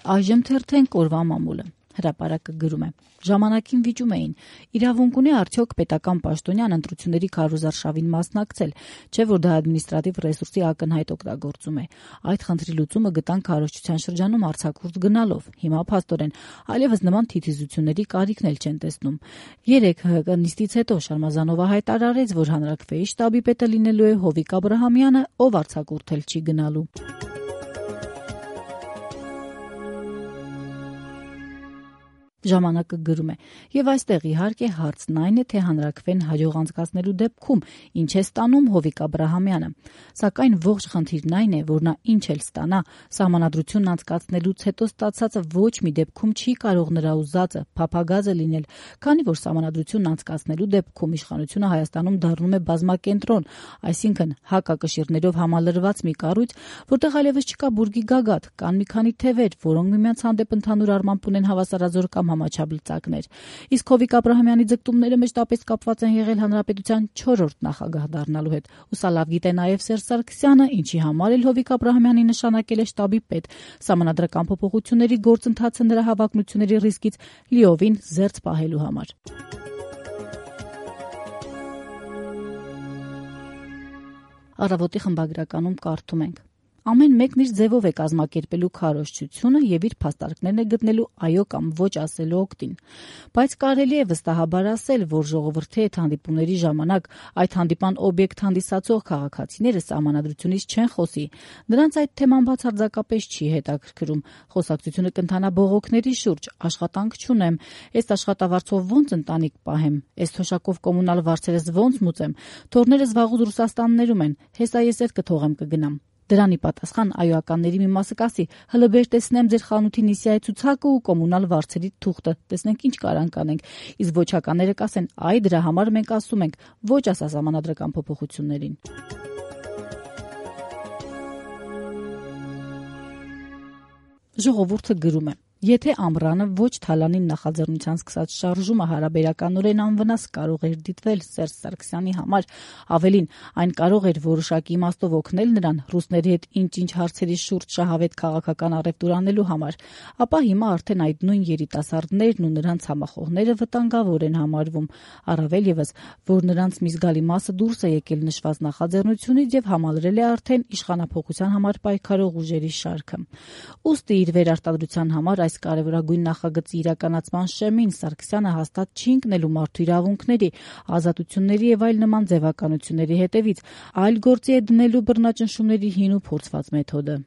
Այժմ թերթենք օրվա մամուլը։ Հրապարակը գրում է. ժամանակին վիճում էին. իրավունք ունի արդյոք պետական պաշտոնյան ընտրությունների քարոզարշավին մասնակցել, չէ՞ որ դա ադմինիստրատիվ ռեսուրսի ակնհայտ օգտագործում է։ Այդ խնդրի լուծումը գտան քարոզչության շրջանում արձակուրդ գնալով։ Հիմա փաստորեն այլևս նման թիթիզությունների կարիքն էլ չեն տեսնում։ Երեկ ՀՀԿ նիստից հետո Շարմազանովը հայտարարեց, որ հանրաքվեի շտաբի պետը լինելու է Հովիկ Աբրահամյանը, ով արձակուրդել չի գնալու։ Ժամանակը գրում է. եւ այստեղ իհարկե հարցն այն է, թե հանրաքվեն հաջող անցկացնելու դեպքում ինչ է ստանում Հովիկ Աբրահամյանը։ Սակայն ողջ խնդիրն այն է, որ նա ինչ էլ ստանա, սահմանադրությունն անցկացնելուց հետո ստացածը ոչ մի դեպքում չի կարող նրա ուզածը, փափագազը լինել, քանի որ սահմանադրությունն անցկացնելու դեպքում իշխանությունը Հայաստանում դառնում է բազմակենտրոն, այսինքն հակակշիռներով համալրված մի կառույց, որտեղ այլևս չկա բուրգի գագաթ, կան մի քանի թևեր, որոնք միմյանց հանդեպ ընդհանուր առմամբ ունեն հավասարազոր կամ համաչափլծակներ։ Իսկ Հովիկ Աբրահամյանի ձգտումները մեջտապես կապված են եղել հանրապետության 4-րդ նախագահ դառնալու հետ։ Ու սա լավ գիտե նաև Սերժ Սարգսյանը, ինչի համար էլ Հովիկ Աբրահամյանի նշանակել է շտաբի պետ։ Սահմանադրական փոփոխությունների գործընթացը նրա հավակնությունների ռիսկից լիովին զերծ պահելու համար։ Առավոտի խմբագրականում կարդում ենք. ամեն մեկն իր ձևով է կազմակերպելու քարոզչությունը եւ իր փաստարկներն է գտնելու այո կամ ոչ ասելու օգտին։ Բայց կարելի է վստահաբար ասել, որ ժողովրդի հետ հանդիպումների ժամանակ այդ հանդիպան օբյեկտ հանդիսացող քաղաքացիները սահմանադրությունից չեն խոսի։ Նրանց այդ թեման բացարձակապես չի հետաքրքրում։ Խոսակցությունը կընթանա բողոքների շուրջ, աշխատանք չունեմ, էս աշխատավարձով ոնց ընտանիք պահեմ, էս թոշակով կոմունալ վարձերս ոնց մուծեմ, թորներս վաղուց Ռուսաստաններում են, հեսա ես էլ կթողեմ կգնամ։ Դրանի պատասխան այոականների մի մասը կասի՝ հլը բեր տեսնեմ ձեր խանութի նիսիայի ցուցակը ու կոմունալ վարձերի թուղթը, տեսնենք ինչ կարանք անենք։ Իսկ ոչականները կասեն՝ այ դրա համար մենք ասում ենք ոչ ասա սահմանադրական փոփոխություններին։ Ժողովուրդը գրում է. եթե Ամռանը ոչ Թալանին նախաձեռնության սկսած շարժումը հարաբերականորեն անվնաս կարող էր դիտվել Սերժ Սարգսյանի համար, ավելին այն կարող էր որոշակի իմաստով օգնել նրան ռուսների հետ ինչ-ինչ հարցերի շուրջ շահավետ քաղաքական առևտուր անելու համար, ապա հիմա արդեն այդ նույն երիտասարդներն ու նրանց համախոհները վտանգավոր են համարվում, առավել ևս, որ նրանց մի զգալի մասը դուրս է եկել նշված նախաձեռնությունից եւ համալրել է արդեն իշխանափոխության համար պայքարող ուժերի շարքը։ Ուստի իր վերարտադրության համար այս կարևորագույն նախագծի իրականացման շեմին Սարգսյանը հաստատ չի ընկնելու մարդու իրավունքների, ազատությունների եւ այլ նման ձևականությունների հետևից, այլ գործի է դնելու բռնաճնշումների հին ու փորձված մեթոդը։